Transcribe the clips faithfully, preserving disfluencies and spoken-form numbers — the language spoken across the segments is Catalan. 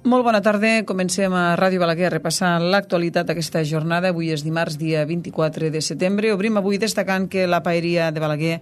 Molt bona tarda. Comencem a Ràdio Balaguer a repassar l'actualitat d'aquesta jornada. Avui és dimarts, dia vint-i-quatre de setembre. Obrim avui destacant que la Paeria de Balaguer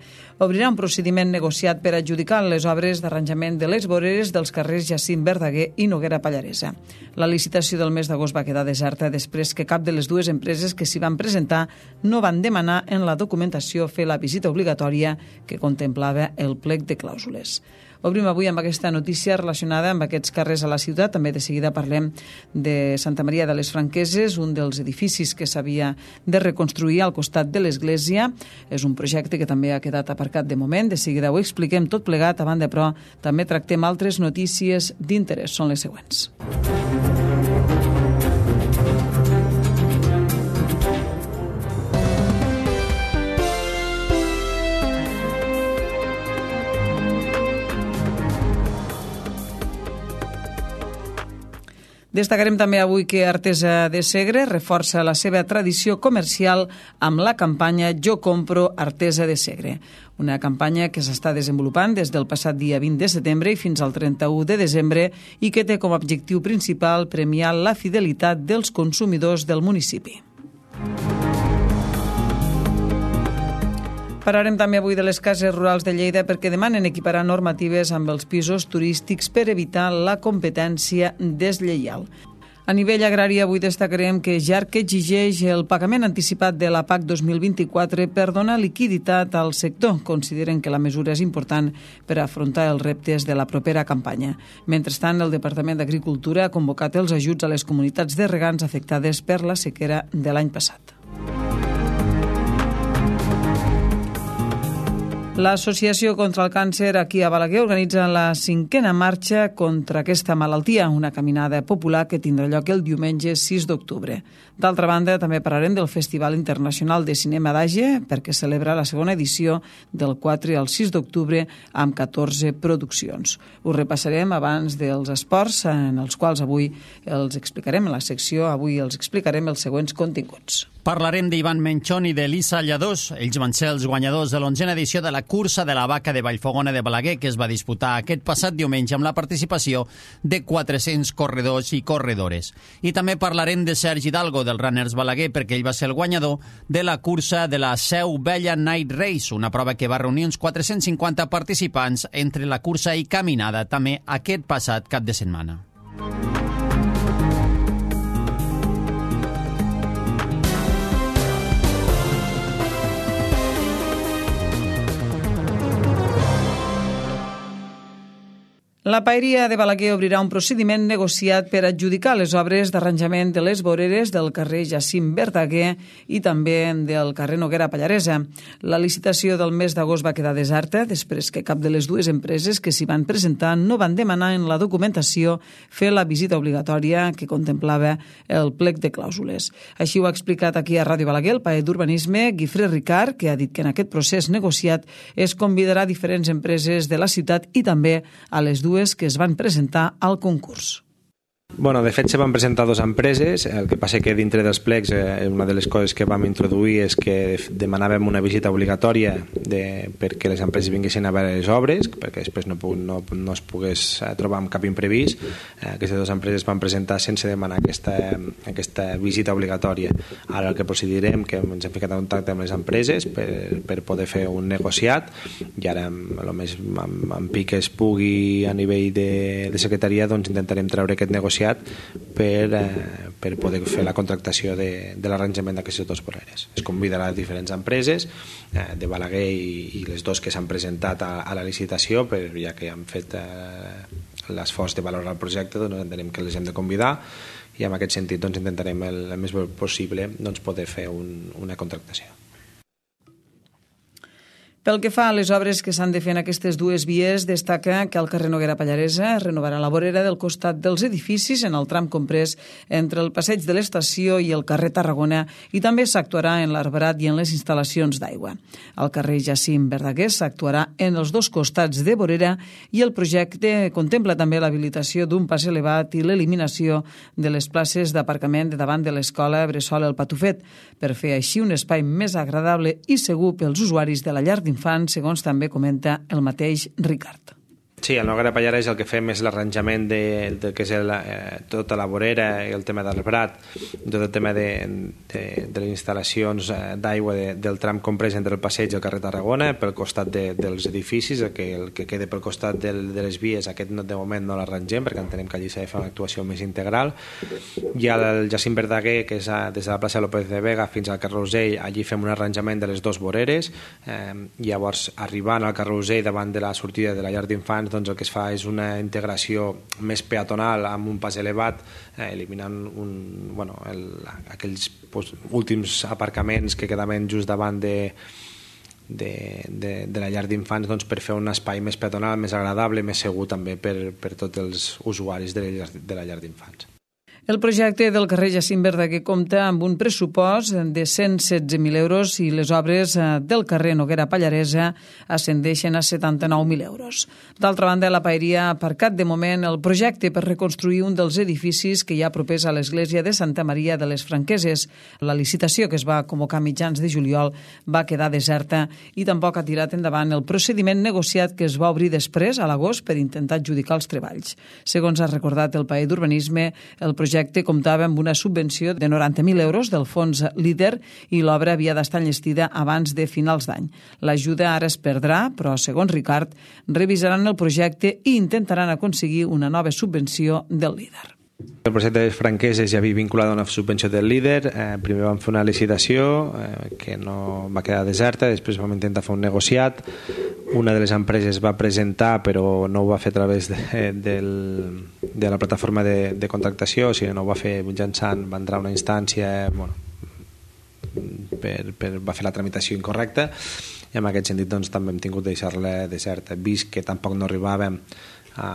obrirà un procediment negociat per adjudicar les obres d'arranjament de les voreres dels carrers Jacint Verdaguer i Noguera Pallaresa. La licitació del mes d'agost va quedar deserta després que cap de les dues empreses que s'hi van presentar no van demanar en la documentació fer la visita obligatòria que contemplava el plec de clàusules. Obrim avui amb aquesta notícia relacionada amb aquests carrers a la ciutat. També de seguida parlem de Santa Maria de les Franqueses, un dels edificis que s'havia de reconstruir al costat de l'església. És un projecte que també ha quedat aparcat de moment. De seguida ho expliquem tot plegat. A banda, però, també tractem altres notícies d'interès. Són les següents. Destacarem també avui que Artesa de Segre reforça la seva tradició comercial amb la campanya Jo compro Artesa de Segre, una campanya que s'està desenvolupant des del passat dia vint de setembre i fins al trenta-u de desembre i que té com a objectiu principal premiar la fidelitat dels consumidors del municipi. Parlarem també avui de les cases rurals de Lleida perquè demanen equiparar normatives amb els pisos turístics per evitar la competència deslleial. A nivell agrari, avui destacarem que Jarc exigeix el pagament anticipat de la P A C dos mil vint-i-quatre per donar liquiditat al sector. Consideren que la mesura és important per afrontar els reptes de la propera campanya. Mentrestant, el Departament d'Agricultura ha convocat els ajuts a les comunitats de regants afectades per la sequera de l'any passat. L'Associació contra el Càncer aquí a Balaguer organitza la cinquena marxa contra aquesta malaltia, una caminada popular que tindrà lloc el diumenge sis d'octubre. D'altra banda, també parlarem del Festival Internacional de Cinema d'Age, perquè celebra la segona edició del quatre al sis d'octubre amb catorze produccions. Ho repassarem abans dels esports, en els quals avui els explicarem, en la secció avui els explicarem els següents continguts. Parlarem d'Ivan Menchón i d'Elisa Lladós. Ells van ser els guanyadors de l'onzena edició de la cursa de la vaca de Vallfogona de Balaguer, que es va disputar aquest passat diumenge amb la participació de quatre-cents corredors i corredores. I també parlarem de Sergi Hidalgo, del Runners Balaguer, perquè ell va ser el guanyador de la cursa de la Seu Vella Night Race, una prova que va reunir uns quatre-cents cinquanta participants entre la cursa i caminada, també aquest passat cap de setmana. La Paeria de Balaguer obrirà un procediment negociat per adjudicar les obres d'arranjament de les voreres del carrer Jacint Verdaguer i també del carrer Noguera Pallaresa. La licitació del mes d'agost va quedar deserta després que cap de les dues empreses que s'hi van presentar no van demanar en la documentació fer la visita obligatòria que contemplava el plec de clàusules. Així ho ha explicat aquí a Ràdio Balaguer el paet d'Urbanisme, Guifré Ricard, que ha dit que en aquest procés negociat es convidarà diferents empreses de la ciutat i també a les dues que es van presentar al concurs. Bueno, de fet se van presentar dues empreses, el que passa que dintre dels plecs eh, una de les coses que vam introduir és que demanàvem una visita obligatòria de, perquè les empreses vinguessin a veure les obres, perquè després no, no, no es pogués trobar amb cap imprevist. Eh, aquestes dues empreses van presentar sense demanar aquesta, aquesta visita obligatòria. Ara el que procedirem, que ens hem ficat en contacte amb les empreses per, per poder fer un negociat i ara el més amb, amb pic que es pugui a nivell de, de secretaria doncs intentarem treure aquest negociat per, eh, per poder fer la contractació de, de l'arranjament d'aquestes dues voreres. Es convidarà a diferents empreses eh, de Balaguer i, i les dues que s'han presentat a, a la licitació, però ja que han fet eh, l'esforç de valorar el projecte, doncs entenem que les hem de convidar i en aquest sentit doncs, intentarem el, el més possible doncs, poder fer un, una contractació. Pel que fa a les obres que s'han de fer en aquestes dues vies, destaca que al carrer Noguera Pallaresa es renovarà la vorera del costat dels edificis en el tram comprès entre el passeig de l'estació i el carrer Tarragona i també s'actuarà en l'arbrat i en les instal·lacions d'aigua. Al carrer Jacint Verdaguer s'actuarà en els dos costats de vorera i el projecte contempla també l'habilitació d'un pas elevat i l'eliminació de les places d'aparcament de davant de l'escola Bressol El Patufet per fer així un espai més agradable i segur pels usuaris de la llar d'infants, segons també comenta el mateix Ricard. Sí, al Noguera Pallarès el que fem és l'arranjament de, de que és el, eh, tota la vorera i el tema del brat, tot el tema de, de, de les instal·lacions eh, d'aigua de, del tram comprès entre el passeig i el carrer Tarragona, pel costat de, dels edificis, el que, el que queda pel costat del, de les vies, aquest no, de moment no l'arrangem perquè entenem que allí s'ha de fer una actuació més integral. I al Jacint Verdaguer, que és a, des de la plaça López de Vega fins al carrer Usell, allí fem un arranjament de les dues voreres, eh, llavors arribant al carrer Usell davant de la sortida de la llar d'infants, doncs el que es fa és una integració més peatonal amb un pas elevat, eh, eliminant un, bueno, el, aquells pues, últims aparcaments que quedaven just davant de, de, de, de la llar d'infants, doncs, per fer un espai més peatonal, més agradable, més segur també per, per tots els usuaris de la llar, de la llar d'infants. El projecte del carrer Jacint Verdaguer compta amb un pressupost de cent setze mil euros i les obres del carrer Noguera Pallaresa ascendeixen a setanta-nou mil euros. D'altra banda, la Paeria ha aparcat de moment el projecte per reconstruir un dels edificis que hi ha propers a l'església de Santa Maria de les Franqueses. La licitació, que es va convocar a mitjans de juliol, va quedar deserta i tampoc ha tirat endavant el procediment negociat que es va obrir després, a l'agost, per intentar adjudicar els treballs. Segons ha recordat el Paer d'Urbanisme, el projecte El projecte comptava amb una subvenció de noranta mil euros del fons Líder i l'obra havia d'estar enllestida abans de finals d'any. L'ajuda ara es perdrà, però, segons Ricard, revisaran el projecte i intentaran aconseguir una nova subvenció del Líder. El projecte de les Franqueses ja havia vinculat a una subvenció del Líder. Eh, primer vam fer una licitació eh, que no va quedar deserta, després vam intentar fer un negociat. Una de les empreses va presentar, però no ho va fer a través de, del, de la plataforma de, de contractació, sinó no ho va fer mitjançant, va entrar una instància, bueno, per, per, va fer la tramitació incorrecta, i en aquest sentit doncs, també hem tingut de deixar-la deserta, vist que tampoc no arribàvem a,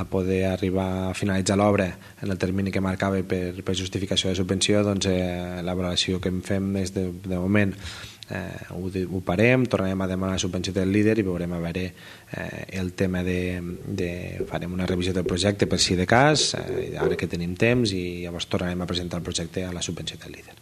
a poder arribar a finalitzar l'obra en el termini que marcava per, per justificació de subvenció. Doncs eh, la valoració que en fem és de, de moment eh, ho, ho parem, tornarem a demanar la subvenció del Líder i veurem a veure eh, el tema de, de farem una revisió del projecte per si de cas, eh, ara que tenim temps, i llavors tornarem a presentar el projecte a la subvenció del Líder.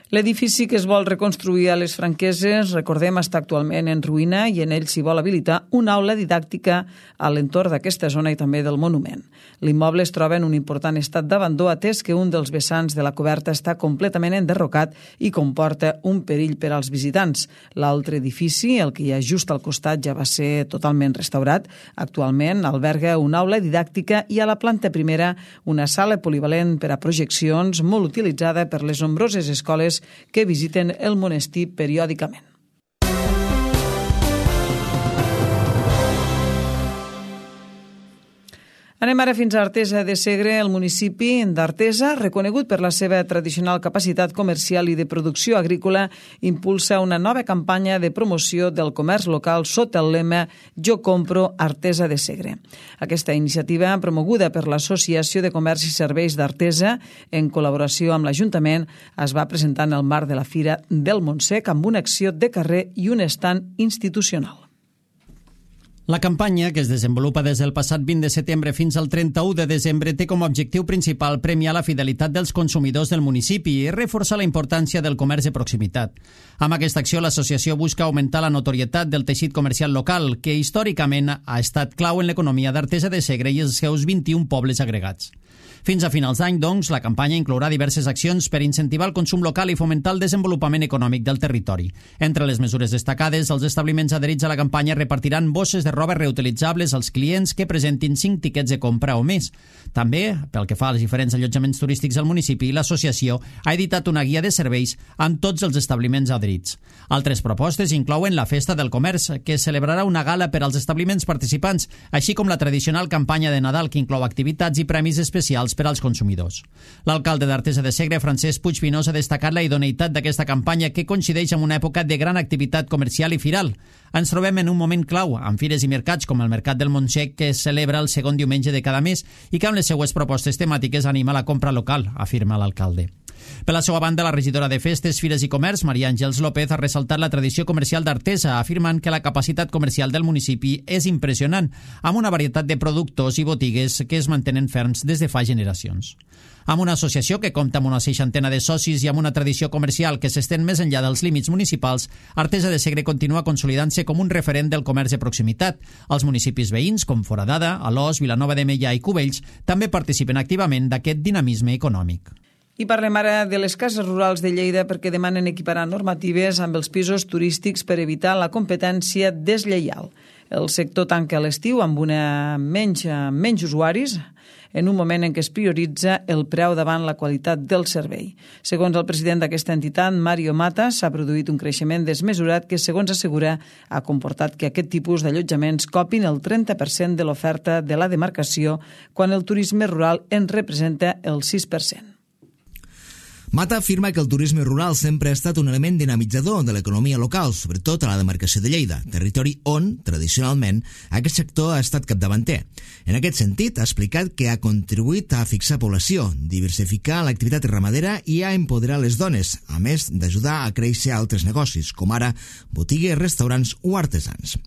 L'edifici que es vol reconstruir a les Franqueses, recordem, està actualment en ruïna i en ell s'hi vol habilitar una aula didàctica a l'entorn d'aquesta zona i també del monument. L'immoble es troba en un important estat d'abandó, atès que un dels vessants de la coberta està completament enderrocat i comporta un perill per als visitants. L'altre edifici, el que hi ha just al costat, ja va ser totalment restaurat. Actualment alberga una aula didàctica i a la planta primera una sala polivalent per a projeccions molt utilitzada per les nombroses escoles que visiten el monestir periòdicament. Anem ara fins a Artesa de Segre. El municipi d'Artesa, reconegut per la seva tradicional capacitat comercial i de producció agrícola, impulsa una nova campanya de promoció del comerç local sota el lema Jo compro Artesa de Segre. Aquesta iniciativa, promoguda per l'Associació de Comerç i Serveis d'Artesa, en col·laboració amb l'Ajuntament, es va presentar en el marc de la Fira del Montsec amb una acció de carrer i un estand institucional. La campanya, que es desenvolupa des del passat vint de setembre fins al trenta-u de desembre, té com a objectiu principal premiar la fidelitat dels consumidors del municipi i reforçar la importància del comerç de proximitat. Amb aquesta acció, l'associació busca augmentar la notorietat del teixit comercial local, que històricament ha estat clau en l'economia d'Artesa de Segre i els seus vint-i-un pobles agregats. Fins a finals d'any, doncs, la campanya inclourà diverses accions per incentivar el consum local i fomentar el desenvolupament econòmic del territori. Entre les mesures destacades, els establiments adherits a la campanya repartiran bosses de roba reutilitzables als clients que presentin cinc tiquets de compra o més. També, pel que fa als diferents allotjaments turístics del municipi, l'associació ha editat una guia de serveis amb tots els establiments adherits. Altres propostes inclouen la Festa del Comerç, que celebrarà una gala per als establiments participants, així com la tradicional campanya de Nadal, que inclou activitats i premis especials per als consumidors. L'alcalde d'Artesa de Segre, Francesc Puig Pinós, ha destacat la idoneïtat d'aquesta campanya, que coincideix amb una època de gran activitat comercial i firal. Ens trobem en un moment clau, amb fires i mercats com el Mercat del Montsec, que es celebra el segon diumenge de cada mes i que amb les seues propostes temàtiques anima la compra local, afirma l'alcalde. Per la seva banda, la regidora de Festes, Fires i Comerç, Maria Àngels López, ha ressaltat la tradició comercial d'Artesa, afirmant que la capacitat comercial del municipi és impressionant, amb una varietat de productors i botigues que es mantenen ferms des de fa generacions. generacions. Amb una associació que compta amb una seixantena de socis i amb una tradició comercial que s'estén més enllà dels límits municipals, Artesa de Segre continua consolidant-se com un referent del comerç de proximitat. Els municipis veïns, com Foradada, Alòs, Vilanova de Meià i Cubells, també participen activament d'aquest dinamisme econòmic. I parlem ara de les cases rurals de Lleida perquè demanen equiparar normatives amb els pisos turístics per evitar la competència deslleial. El sector tanca a l'estiu amb una menys, menys usuaris en un moment en què es prioritza el preu davant la qualitat del servei. Segons el president d'aquesta entitat, Mario Mata, s'ha produït un creixement desmesurat que, segons assegura, ha comportat que aquest tipus d'allotjaments copin el trenta per cent de l'oferta de la demarcació quan el turisme rural en representa el sis per cent. Mata afirma que el turisme rural sempre ha estat un element dinamitzador de l'economia local, sobretot a la demarcació de Lleida, territori on, tradicionalment, aquest sector ha estat capdavanter. En aquest sentit, ha explicat que ha contribuït a fixar població, diversificar l'activitat ramadera i a empoderar les dones, a més d'ajudar a créixer altres negocis, com ara botigues, restaurants o artesans.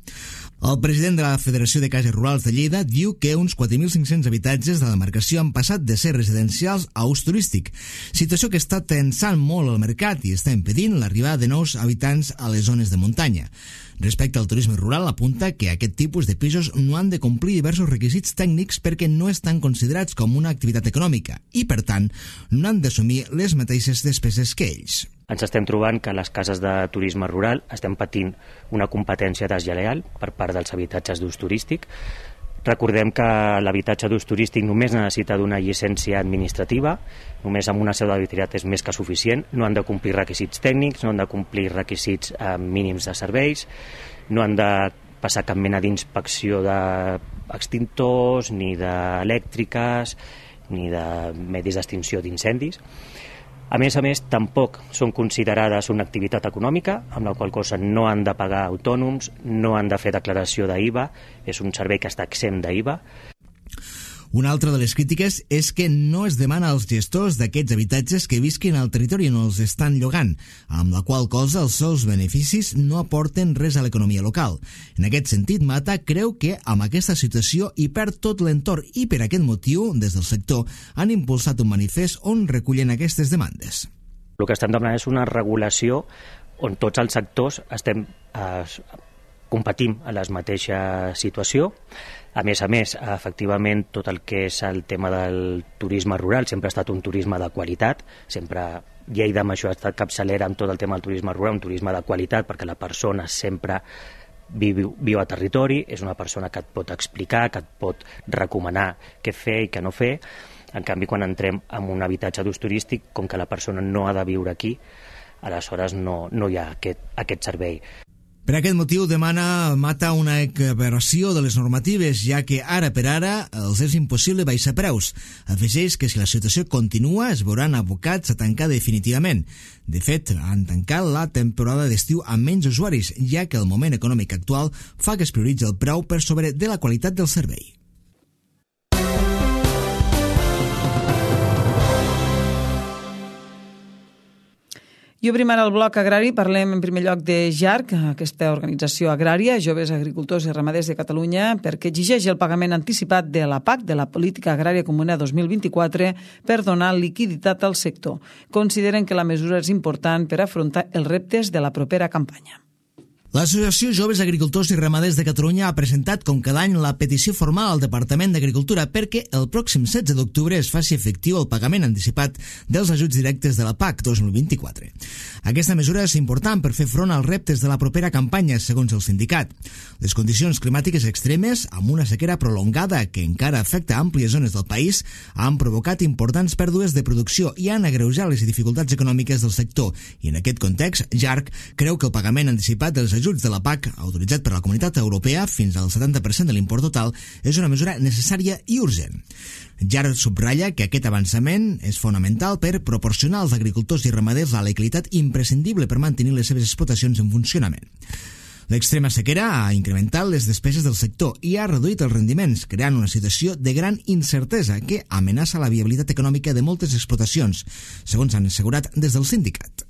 El president de la Federació de Cases Rurals de Lleida diu que uns quatre mil cinc-cents habitatges de la demarcació han passat de ser residencials a ús turístic, situació que està tensant molt el mercat i està impedint l'arribada de nous habitants a les zones de muntanya. Respecte al turisme rural, apunta que aquest tipus de pisos no han de complir diversos requisits tècnics perquè no estan considerats com una activitat econòmica i, per tant, no han d'assumir les mateixes despeses que ells. Ens estem trobant que les cases de turisme rural estem patint una competència deslleial per part dels habitatges d'ús turístic. Recordem que l'habitatge d'ús turístic només necessita d'una llicència administrativa, només amb una seu d'habitabilitat és més que suficient, no han de complir requisits tècnics, no han de complir requisits eh, mínims de serveis, no han de passar cap mena d'inspecció d'extintors, ni d'elèctriques, ni de medis d'extinció d'incendis. A més a més, tampoc són considerades una activitat econòmica, amb la qual cosa no han de pagar autònoms, no han de fer declaració d'I V A, és un servei que està exempt d'I V A. Una altra de les crítiques és que no es demana als gestors d'aquests habitatges que visquin al territori on els estan llogant, amb la qual cosa els seus beneficis no aporten res a l'economia local. En aquest sentit, Mata creu que amb aquesta situació hi perd tot l'entorn i per aquest motiu, des del sector, han impulsat un manifest on recullen aquestes demandes. El que estem demanant és una regulació on tots els sectors estem eh, competim a la mateixa situació. A més a més, efectivament, tot el que és el tema del turisme rural sempre ha estat un turisme de qualitat, sempre Lleida amb això ha estat capçalera amb tot el tema del turisme rural, un turisme de qualitat perquè la persona sempre viu, viu a territori, és una persona que et pot explicar, que et pot recomanar què fer i què no fer. En canvi, quan entrem en un habitatge d'ús turístic, com que la persona no ha de viure aquí, aleshores no, no hi ha aquest, aquest servei. Per aquest motiu demana Mata una equiparació de les normatives, ja que ara per ara els és impossible baixar preus. Afegeix que si la situació continua es veuran abocats a tancar definitivament. De fet, han tancat la temporada d'estiu amb menys usuaris, ja que el moment econòmic actual fa que es prioritzi el preu per sobre de la qualitat del servei. I obrim ara el bloc agrari. Parlem en primer lloc de J A R C, aquesta organització agrària, Joves Agricultors i Ramaders de Catalunya, perquè exigeix el pagament anticipat de la P A C, de la Política Agrària Comuna dos mil vint-i-quatre, per donar liquiditat al sector. Consideren que la mesura és important per afrontar els reptes de la propera campanya. L'Associació Joves Agricultors i Ramaders de Catalunya ha presentat com cada any la petició formal al Departament d'Agricultura perquè el pròxim setze d'octubre es faci efectiu el pagament anticipat dels ajuts directes de la P A C dos mil vint-i-quatre. Aquesta mesura és important per fer front als reptes de la propera campanya, segons el sindicat. Les condicions climàtiques extremes, amb una sequera prolongada que encara afecta àmplies zones del país, han provocat importants pèrdues de producció i han agreujat les dificultats econòmiques del sector. I en aquest context, J A R C creu que el pagament anticipat dels ajuts de la P A C, autoritzat per la Comunitat Europea fins al setanta per cent de l'import total, és una mesura necessària i urgent. J A R C subratlla que aquest avançament és fonamental per proporcionar als agricultors i ramaders la liquiditat imprescindible per mantenir les seves explotacions en funcionament. L'extrema sequera ha incrementat les despeses del sector i ha reduït els rendiments, creant una situació de gran incertesa que amenaça la viabilitat econòmica de moltes explotacions, segons han assegurat des del sindicat.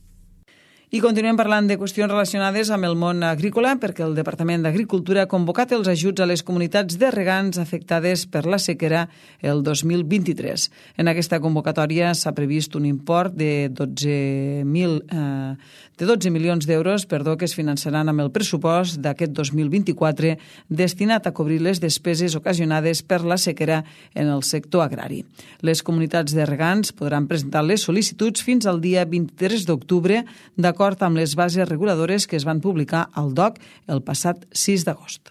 I continuem parlant de qüestions relacionades amb el món agrícola perquè el Departament d'Agricultura ha convocat els ajuts a les comunitats de regants afectades per la sequera el dos mil vint-i-tres. En aquesta convocatòria s'ha previst un import de dotze mil, eh, de dotze milions d'euros perdó, que es finançaran amb el pressupost d'aquest dos mil vint-i-quatre destinat a cobrir les despeses ocasionades per la sequera en el sector agrari. Les comunitats de regants podran presentar les sol·licituds fins al dia vint-i-tres d'octubre d'acord amb les bases reguladores que es van publicar al D O C el passat sis d'agost.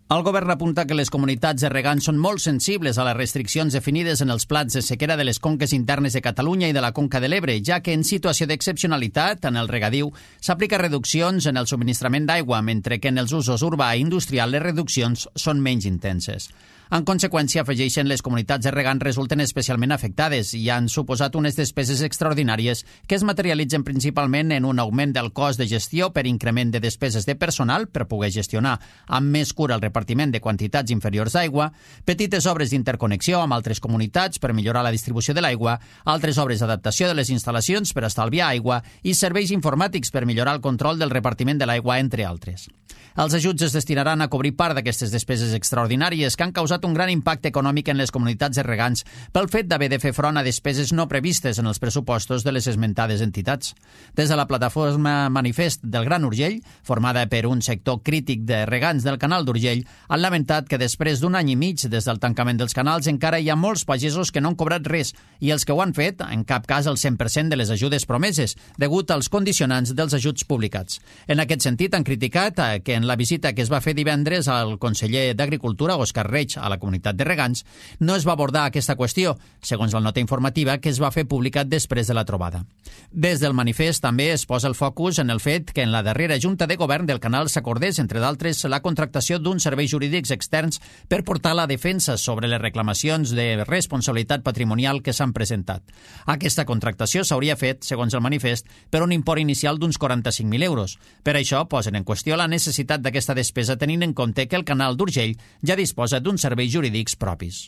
El govern apunta que les comunitats de regants són molt sensibles a les restriccions definides en els plans de sequera de les conques internes de Catalunya i de la Conca de l'Ebre, ja que en situació d'excepcionalitat en el regadiu s'aplica reduccions en el subministrament d'aigua, mentre que en els usos urbà i industrial les reduccions són menys intenses. En conseqüència, afegeixen, les comunitats de regants resulten especialment afectades i han suposat unes despeses extraordinàries que es materialitzen principalment en un augment del cost de gestió per increment de despeses de personal per poder gestionar amb més cura el repartiment de quantitats inferiors d'aigua, petites obres d'interconnexió amb altres comunitats per millorar la distribució de l'aigua, altres obres d'adaptació de les instal·lacions per estalviar aigua i serveis informàtics per millorar el control del repartiment de l'aigua, entre altres. Els ajuts es destinaran a cobrir part d'aquestes despeses extraordinàries que han causat un gran impacte econòmic en les comunitats de regants pel fet d'haver de fer front a despeses no previstes en els pressupostos de les esmentades entitats. Des de la plataforma Manifest del Gran Urgell, formada per un sector crític de regants del canal d'Urgell, han lamentat que després d'un any i mig des del tancament dels canals encara hi ha molts pagesos que no han cobrat res i els que ho han fet, en cap cas el cent per cent de les ajudes promeses, degut als condicionants dels ajuts publicats. En aquest sentit, han criticat que en la visita que es va fer divendres al conseller d'Agricultura, Òscar Reig, a la comunitat de regants, no es va abordar aquesta qüestió, segons la nota informativa que es va fer publicat després de la trobada. Des del manifest també es posa el focus en el fet que en la darrera Junta de Govern del canal s'acordés, entre d'altres, la contractació d'uns serveis jurídics externs per portar la defensa sobre les reclamacions de responsabilitat patrimonial que s'han presentat. Aquesta contractació s'hauria fet, segons el manifest, per un import inicial d'uns quaranta-cinc mil euros. Per això posen en qüestió la necessitat d'aquesta despesa tenint en compte que el canal d'Urgell ja disposa d'uns serveis jurídics propis.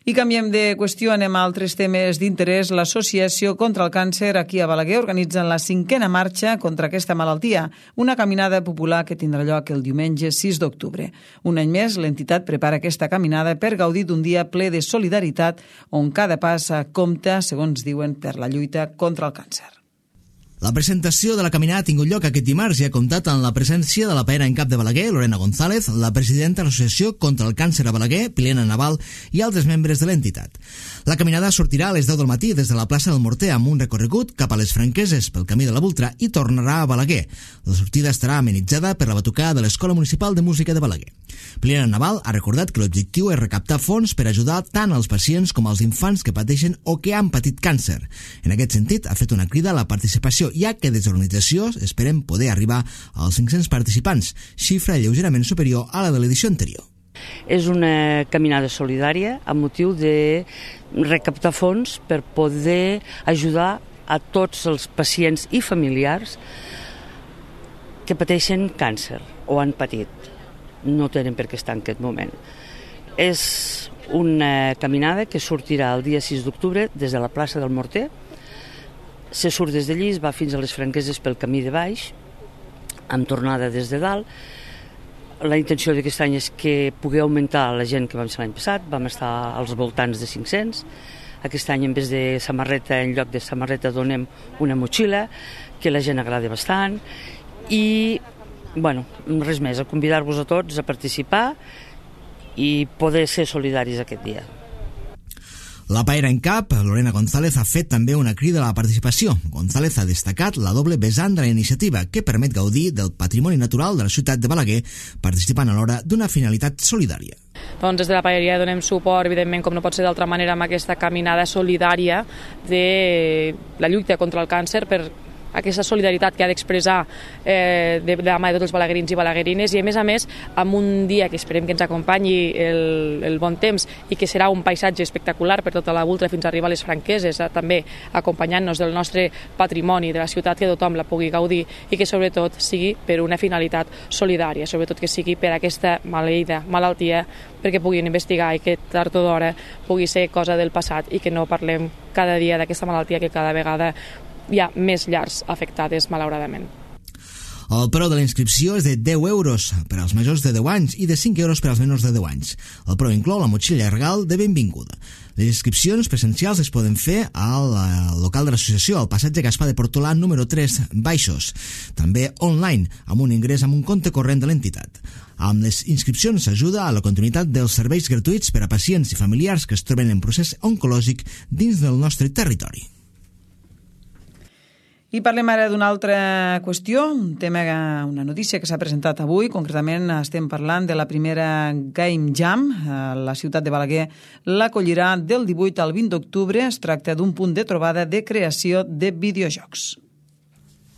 I canviem de qüestió, anem a altres temes d'interès. L'Associació contra el Càncer aquí a Balaguer organitza la cinquena marxa contra aquesta malaltia, una caminada popular que tindrà lloc el diumenge sis d'octubre. Un any més, l'entitat prepara aquesta caminada per gaudir d'un dia ple de solidaritat on cada pas compta, segons diuen, per la lluita contra el càncer. La presentació de la caminada ha tingut lloc aquest dimarts i ha comptat amb la presència de la paera en cap de Balaguer, Lorena González, la presidenta de l'Associació contra el Càncer a Balaguer, Pilena Naval, i altres membres de l'entitat. La caminada sortirà a les deu del matí des de la plaça del Morter amb un recorregut cap a les Franqueses pel camí de la Voltrà i tornarà a Balaguer. La sortida estarà amenitzada per la batucada de l'Escola Municipal de Música de Balaguer. Pilena Naval ha recordat que l'objectiu és recaptar fons per ajudar tant als pacients com als infants que pateixen o que han patit càncer. En aquest sentit, ha fet una crida a la participació, ja que des de l'organització esperem poder arribar als cinc-cents participants, xifra lleugerament superior a la de l'edició anterior. És una caminada solidària amb motiu de recaptar fons per poder ajudar a tots els pacients i familiars que pateixen càncer o han patit. No tenen per què estar en aquest moment. És una caminada que sortirà el dia sis d'octubre des de la plaça del Morter. Se surt des d'allí, es va fins a les Franqueses pel camí de baix, amb tornada des de dalt. La intenció d'aquest any és que pugui augmentar la gent que vam ser l'any passat, vam estar als voltants de cinc-cents. Aquest any, en vez de samarreta, en lloc de samarreta, donem una motxilla, que la gent agrada bastant. I, bueno, res més, a convidar-vos a tots a participar i poder ser solidaris aquest dia. La paera en cap, Lorena González, ha fet també una crida a la participació. González ha destacat la doble vessant de la iniciativa, que permet gaudir del patrimoni natural de la ciutat de Balaguer, participant alhora d'una finalitat solidària. Doncs des de la paeria donem suport, evidentment, com no pot ser d'altra manera, amb aquesta caminada solidària de la lluita contra el càncer per aquesta solidaritat que ha d'expressar eh, de, de la mà de tots els balaguerins i balaguerines, i a més a més amb un dia que esperem que ens acompanyi el, el bon temps i que serà un paisatge espectacular per tota la Ultra fins a arribar a les Franqueses, eh, també acompanyant-nos del nostre patrimoni, de la ciutat, que tothom la pugui gaudir i que sobretot sigui per una finalitat solidària, sobretot que sigui per aquesta maleïda malaltia, perquè puguin investigar i que tard o d'hora pugui ser cosa del passat i que no parlem cada dia d'aquesta malaltia que cada vegada hi ha més llars afectades, malauradament. El preu de la inscripció és de deu euros per als majors de deu anys i de cinc euros per als menors de deu anys. El preu inclou la motxilla regal de benvinguda. Les inscripcions presencials es poden fer al local de l'associació, al passatge Gaspar de Portolà número tres Baixos. També online, amb un ingrés amb un compte corrent de l'entitat. Amb les inscripcions s'ajuda a la continuïtat dels serveis gratuïts per a pacients i familiars que es troben en procés oncològic dins del nostre territori. I parlem ara d'una altra qüestió, un tema, una notícia que s'ha presentat avui. Concretament estem parlant de la primera Game Jam. La ciutat de Balaguer l'acollirà del divuit al vint d'octubre. Es tracta d'un punt de trobada de creació de videojocs.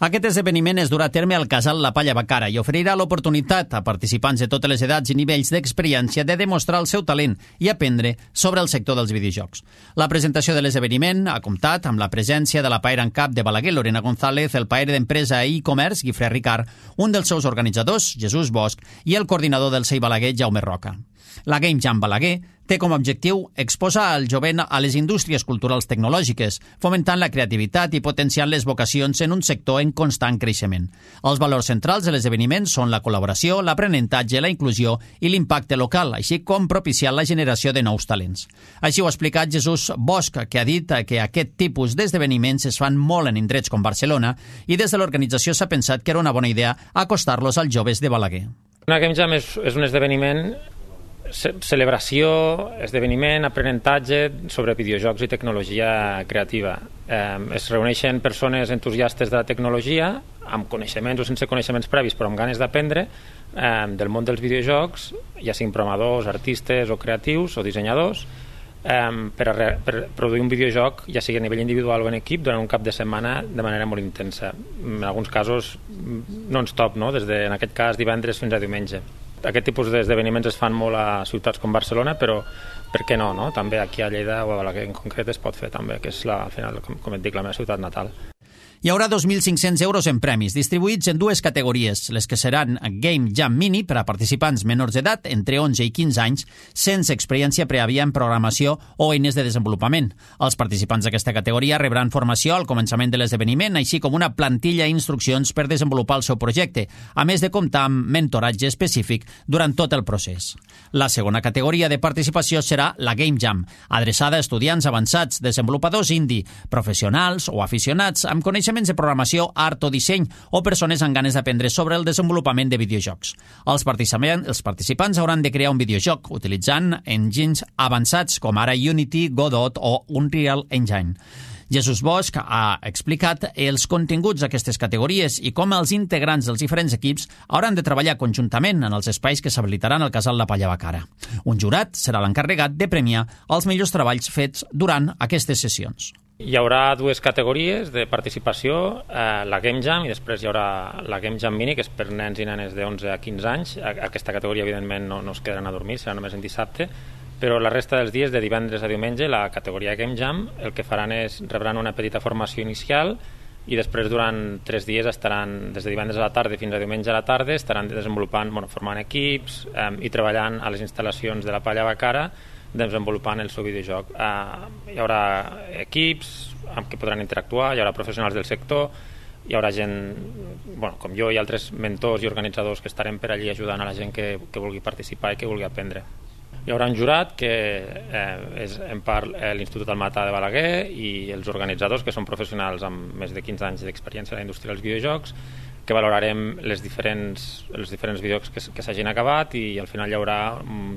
Aquest esdeveniment es durà a terme al Casal La Palla Bacara i oferirà l'oportunitat a participants de totes les edats i nivells d'experiència de demostrar el seu talent i aprendre sobre el sector dels videojocs. La presentació de l'esdeveniment ha comptat amb la presència de la paera en cap de Balaguer, Lorena González, el paer d'empresa i e-commerce, Guifré Ricard, un dels seus organitzadors, Jesús Bosch, i el coordinador del C E I Balaguer, Jaume Roca. La Game Jam Balaguer té com a objectiu exposar el jovent a les indústries culturals tecnològiques, fomentant la creativitat i potenciant les vocacions en un sector en constant creixement. Els valors centrals de l'esdeveniment són la col·laboració, l'aprenentatge, la inclusió i l'impacte local, així com propiciar la generació de nous talents. Així ho ha explicat Jesús Bosch, que ha dit que aquest tipus d'esdeveniments es fan molt en indrets com Barcelona i des de l'organització s'ha pensat que era una bona idea acostar-los als joves de Balaguer. Una Game Jam és, és un esdeveniment celebració, esdeveniment, aprenentatge sobre videojocs i tecnologia creativa. Eh, es reuneixen persones entusiastes de la tecnologia, amb coneixements o sense coneixements previs, però amb ganes d'aprendre eh, del món dels videojocs, ja siguin programadors, artistes o creatius o dissenyadors, eh, per, a re, per produir un videojoc, ja sigui a nivell individual o en equip, durant un cap de setmana de manera molt intensa. En alguns casos non-stop, no? Des de, en aquest cas, divendres fins a diumenge. Aquest tipus d'esdeveniments es fan molt a ciutats com Barcelona, però per què no, no? També aquí a Lleida o a Balaguer en concret es pot fer també, que és la, al final, com, com et dic, la meva ciutat natal. Hi haurà dos mil cinc-cents euros en premis, distribuïts en dues categories, les que seran Game Jam Mini per a participants menors d'edat, entre onze i quinze anys, sense experiència prèvia en programació o eines de desenvolupament. Els participants d'aquesta categoria rebran formació al començament de l'esdeveniment, així com una plantilla i instruccions per desenvolupar el seu projecte, a més de comptar amb mentoratge específic durant tot el procés. La segona categoria de participació serà la Game Jam, adreçada a estudiants avançats, desenvolupadors indie, professionals o aficionats amb coneixements de programació, art o disseny o persones amb ganes d'aprendre sobre el desenvolupament de videojocs. Els participants, els participants hauran de crear un videojoc utilitzant engines avançats com ara Unity, Godot o Unreal Engine. Jesús Bosch ha explicat els continguts d'aquestes categories i com els integrants dels diferents equips hauran de treballar conjuntament en els espais que s'habilitaran al Casal La Palla Bacara. Un jurat serà l'encarregat de premiar els millors treballs fets durant aquestes sessions. Hi haurà dues categories de participació, eh, la Game Jam i després hi haurà la Game Jam Mini, que és per nens i nenes d'onze a quinze anys. Aquesta categoria, evidentment, no, no es quedaran a dormir, serà només en dissabte, però la resta dels dies, de divendres a diumenge, la categoria Game Jam, el que faran és rebran una petita formació inicial i després durant tres dies estaran, des de divendres a la tarda fins a diumenge a la tarda, estaran desenvolupant, bueno, formant equips eh, i treballant a les instal·lacions de la Palla Bacara, desenvolupant el seu videojoc. Uh, hi haurà equips amb què podran interactuar, hi haurà professionals del sector, hi haurà gent, bueno, com jo i altres mentors i organitzadors que estarem per allí ajudant a la gent que, que vulgui participar i que vulgui aprendre. Hi haurà un jurat que eh, és en part eh, l'Institut Almatà de Balaguer i els organitzadors, que són professionals amb més de quinze anys d'experiència en la indústria dels videojocs, que valorarem les diferents, els diferents vídeos que, que s'hagin acabat i al final hi haurà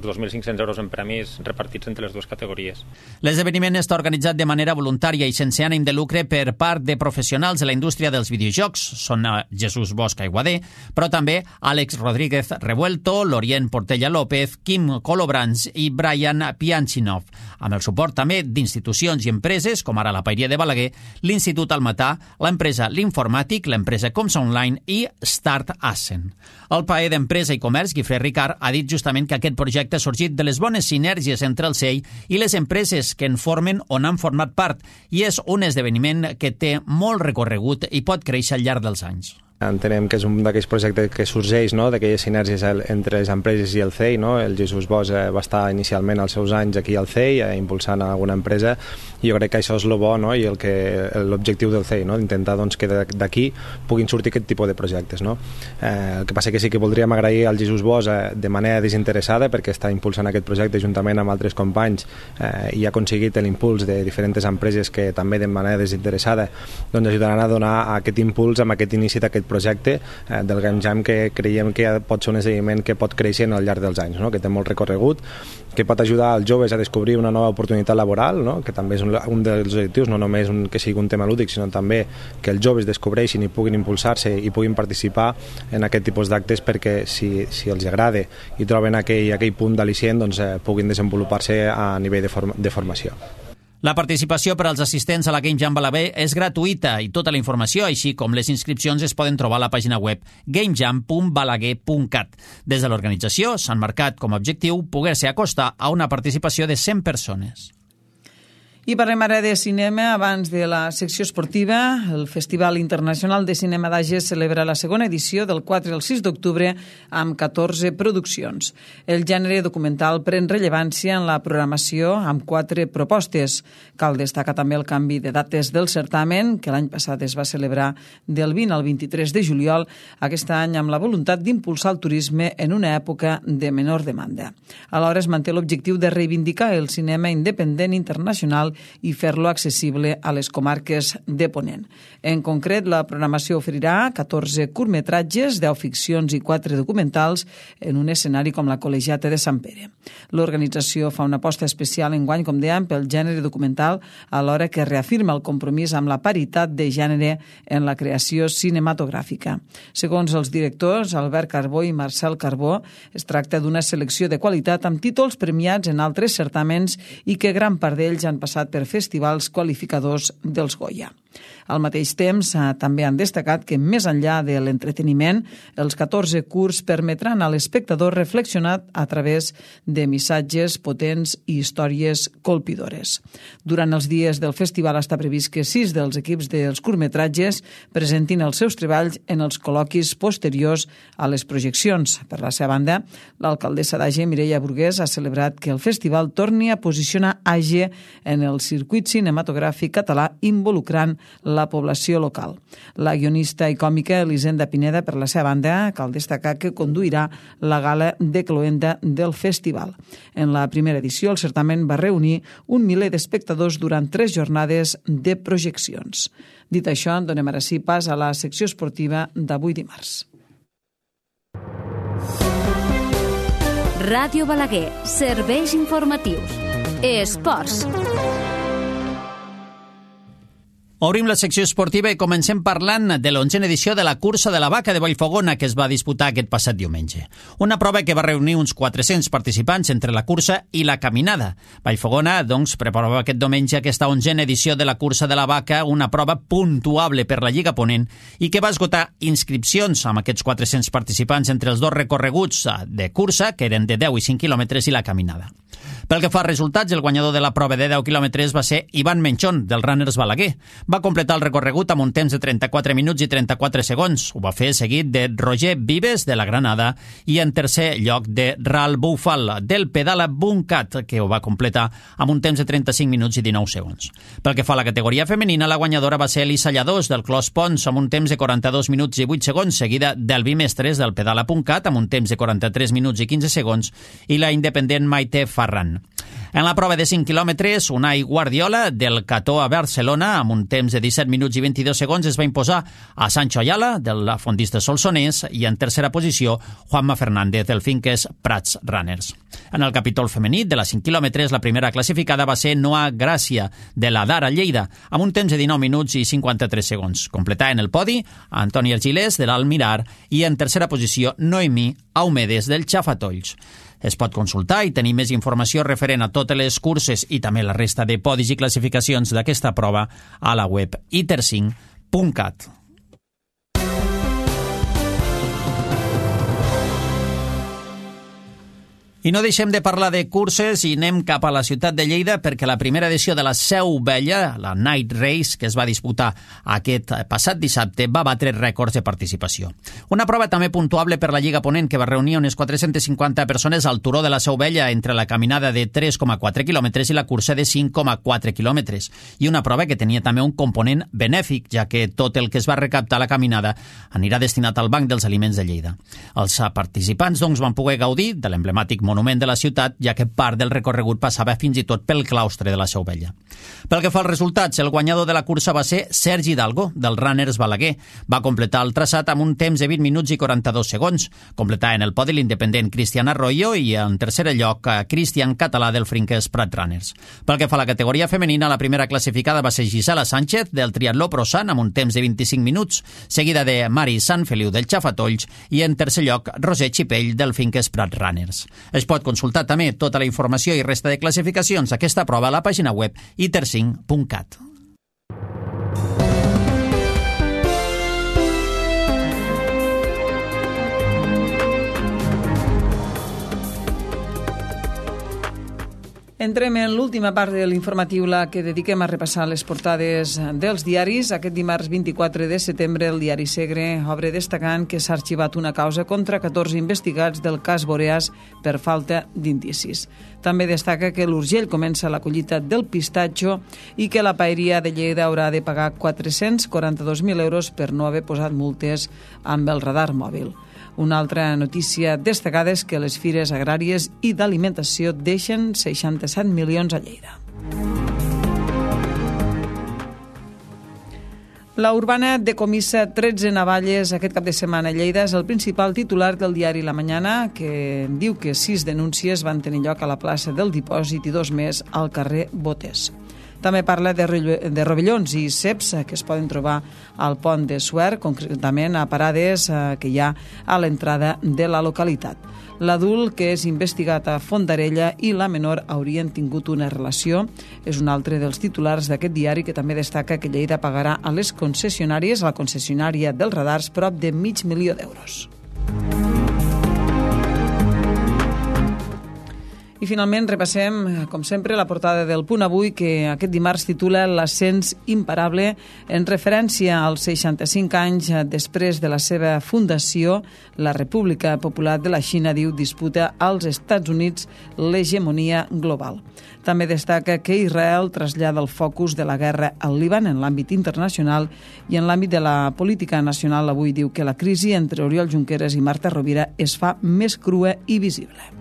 dos mil cinc-cents euros en premis repartits entre les dues categories. L'esdeveniment està organitzat de manera voluntària i sense ànim de lucre per part de professionals de la indústria dels videojocs. Són Jesús Bosch Aiguader, però també Àlex Rodríguez Revuelto, Lorient Portella López, Kim Colobrans i Brian Pianchinov, amb el suport també d'institucions i empreses, com ara la Paeria de Balaguer, l'Institut Almatà, l'empresa L'Informàtic, l'empresa Comsa Online i Start Assen. El paer d'Empresa i Comerç, Guifré Ricard, ha dit justament que aquest projecte ha sorgit de les bones sinergies entre el C E I i les empreses que en formen o n'han format part i és un esdeveniment que té molt recorregut i pot créixer al llarg dels anys. Entenem que és un d'aquells projectes que sorgeix, no?, d'aquelles sinergies entre les empreses i el C E I, no? El Jesús Bosch eh, va estar inicialment als seus anys aquí al C E I eh, impulsant alguna empresa i jo crec que això és el bo, no?, i el que l'objectiu del C E I, no?, d'intentar doncs, que d'aquí puguin sortir aquest tipus de projectes, no? Eh, el que passa que sí que voldríem agrair al Jesús Bosch eh, de manera desinteressada perquè està impulsant aquest projecte juntament amb altres companys eh, i ha aconseguit l'impuls de diferents empreses que també de manera desinteressada doncs, ajudaran a donar aquest impuls amb aquest inici d'aquest projecte eh, del Game Jam que creiem que pot ser un esdeveniment que pot créixer al llarg dels anys, no?, que té molt recorregut, que pot ajudar als joves a descobrir una nova oportunitat laboral, no?, que també és un, un dels objectius, no només un, que sigui un tema lúdic, sinó també que els joves descobreixin i puguin impulsar-se i puguin participar en aquest tipus d'actes perquè si, si els agrada i troben aquell, aquell punt d'al·licient doncs, eh, puguin desenvolupar-se a nivell de, form de formació. La participació per als assistents a la Game Jam Balaguer és gratuïta i tota la informació, així com les inscripcions, es poden trobar a la pàgina web gamejam punt balaguer punt cat. Des de l'organització s'han marcat com a objectiu poder-se acostar a una participació de cent persones. I parlem ara de cinema abans de la secció esportiva. El Festival Internacional de Cinema d'Age celebra la segona edició del quatre al sis d'octubre amb catorze produccions. El gènere documental pren rellevància en la programació amb quatre propostes. Cal destacar també el canvi de dates del certamen, que l'any passat es va celebrar del vint al vint-i-tres de juliol, aquest any amb la voluntat d'impulsar el turisme en una època de menor demanda. Alhora es manté l'objectiu de reivindicar el cinema independent internacional i fer-lo accessible a les comarques de Ponent. En concret, la programació oferirà catorze curtmetratges, deu ficcions i quatre documentals en un escenari com la Col·legiata de Sant Pere. L'organització fa una aposta especial enguany, com dèiem, pel gènere documental, alhora que reafirma el compromís amb la paritat de gènere en la creació cinematogràfica. Segons els directors, Albert Carbó i Marcel Carbó, es tracta d'una selecció de qualitat amb títols premiats en altres certàmens i que gran part d'ells han passat per festivals qualificadors dels Goya. Al mateix temps, eh, també han destacat que, més enllà de l'entreteniment, els catorze curts permetran a l'espectador reflexionar a través de missatges potents i històries colpidores. Durant els dies del festival està previst que sis dels equips dels curtmetratges presentin els seus treballs en els col·loquis posteriors a les projeccions. Per la seva banda, l'alcaldessa d'Age, Mireia Burgués, ha celebrat que el festival torni a posicionar Age en el circuit cinematogràfic català involucrant la població local. La guionista i còmica Elisenda Pineda, per la seva banda, cal destacar que conduirà la gala de cloenda del festival. En la primera edició, el certamen va reunir un miler d'espectadors durant tres jornades de projeccions. Dit això, donem ara sí pas a la secció esportiva d'avui dimarts. Ràdio Balaguer, serveis informatius. Esports. Obrim la secció esportiva i comencem parlant de l'onzena edició de la cursa de la vaca de Vallfogona que es va disputar aquest passat diumenge. Una prova que va reunir uns quatre-cents participants entre la cursa i la caminada. Vallfogona, doncs, preparava aquest diumenge aquesta onzena edició de la cursa de la vaca, una prova puntuable per la Lliga Ponent i que va esgotar inscripcions amb aquests quatre-cents participants entre els dos recorreguts de cursa, que eren de deu i cinc quilòmetres, i la caminada. Pel que fa als resultats, el guanyador de la prova de deu quilòmetres va ser Ivan Menchón, del Runners Balaguer. Va completar el recorregut amb un temps de trenta-quatre minuts i trenta-quatre segons. Ho va fer seguit de Roger Vives, de la Granada, i en tercer lloc de Ral Bufal, del Pedala Buncat, que ho va completar amb un temps de trenta-cinc minuts i dinou segons. Pel que fa a la categoria femenina, la guanyadora va ser Elisa Lladós, del Clos Pons, amb un temps de quaranta-dos minuts i vuit segons, seguida del Bimestres, del Pedala Buncat, amb un temps de quaranta-tres minuts i quinze segons, i la independent Maite Ferran. En la prova de cinc quilòmetres, Unai Guardiola, del Cató a Barcelona, amb un temps de disset minuts i vint-i-dos segons, es va imposar a Sancho Ayala, del fondista solsonès, i en tercera posició, Juanma Fernández, del Finques Prats Runners. En el capítol femení de les cinc quilòmetres, la primera classificada va ser Noa Gràcia, de la Dara Lleida, amb un temps de dinou minuts i cinquanta-tres segons. Completà en el podi Antoni Argilés, de l'Almirar, i en tercera posició, Noemí Aumedes, del Xafatolls. Es pot consultar i tenir més informació referent a totes les curses i també la resta de podis i classificacions d'aquesta prova a la web i ter cinc punt cat. I no deixem de parlar de curses i anem cap a la ciutat de Lleida perquè la primera edició de la Seu Vella, la Night Race, que es va disputar aquest passat dissabte, va batre rècords de participació. Una prova també puntuable per la Lliga Ponent, que va reunir unes quatre-centes cinquanta persones al turó de la Seu Vella entre la caminada de tres coma quatre quilòmetres i la cursa de cinc coma quatre quilòmetres. I una prova que tenia també un component benèfic, ja que tot el que es va recaptar a la caminada anirà destinat al Banc dels Aliments de Lleida. Els participants, doncs, van poder gaudir de l'emblemàtic monument de la ciutat, ja que part del recorregut passava fins i tot pel claustre de la Seu Vella. Pel que fa als resultats, el guanyador de la cursa va ser Sergi Hidalgo, del Runners Balaguer. Va completar el traçat amb un temps de vint minuts i quaranta-dos segons. Completà en el podi l'independent Cristian Arroyo i en tercer lloc Cristian Català, del Finques Prat Runners. Pel que fa a la categoria femenina, la primera classificada va ser Gisela Sánchez, del Triatló Prosan, amb un temps de vint-i-cinc minuts, seguida de Mari Sant Feliu, del Xafatolls, i en tercer lloc Roser Xipell, del Finques Prat Runners. Es pot consultar també tota la informació i resta de classificacions d'aquesta prova a la pàgina web i ter cinc punt cat. Entrem en l'última part de l'informatiu, la que dediquem a repassar les portades dels diaris. Aquest dimarts vint-i-quatre de setembre, el diari Segre obre destacant que s'ha arxivat una causa contra catorze investigats del cas Boreas per falta d'indicis. També destaca que l'Urgell comença la collita del pistatxo i que la Paeria de Lleida haurà de pagar quatre-cents quaranta-dos mil euros per no haver posat multes amb el radar mòbil. Una altra notícia destacada és que les fires agràries i d'alimentació deixen seixanta-set milions a Lleida. La Urbana decomissa tretze navalles aquest cap de setmana a Lleida. És el principal titular del diari La Mañana, que diu que sis denúncies van tenir lloc a la plaça del Dipòsit i dos més al carrer Botés. També parla de, de rovellons i ceps que es poden trobar al pont de Suert, concretament a parades que hi ha a l'entrada de la localitat. L'adult, que és investigat a Fondarella, i la menor haurien tingut una relació. És un altre dels titulars d'aquest diari, que també destaca que Lleida pagarà a les concessionàries, a la concessionària dels radars, prop de mig milió d'euros. I finalment repassem, com sempre, la portada del Punt Avui, que aquest dimarts titula L'ascens imparable, en referència als seixanta-cinc anys després de la seva fundació. La República Popular de la Xina, diu, disputa als Estats Units l'hegemonia global. També destaca que Israel trasllada el focus de la guerra al Líban en l'àmbit internacional i en l'àmbit de la política nacional. Avui diu que la crisi entre Oriol Junqueras i Marta Rovira es fa més crua i visible.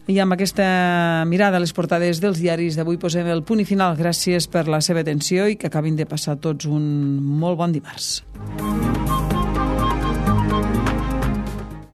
I amb aquesta mirada a les portades dels diaris d'avui posem el punt i final. Gràcies per la seva atenció i que acabin de passar tots un molt bon dimarts.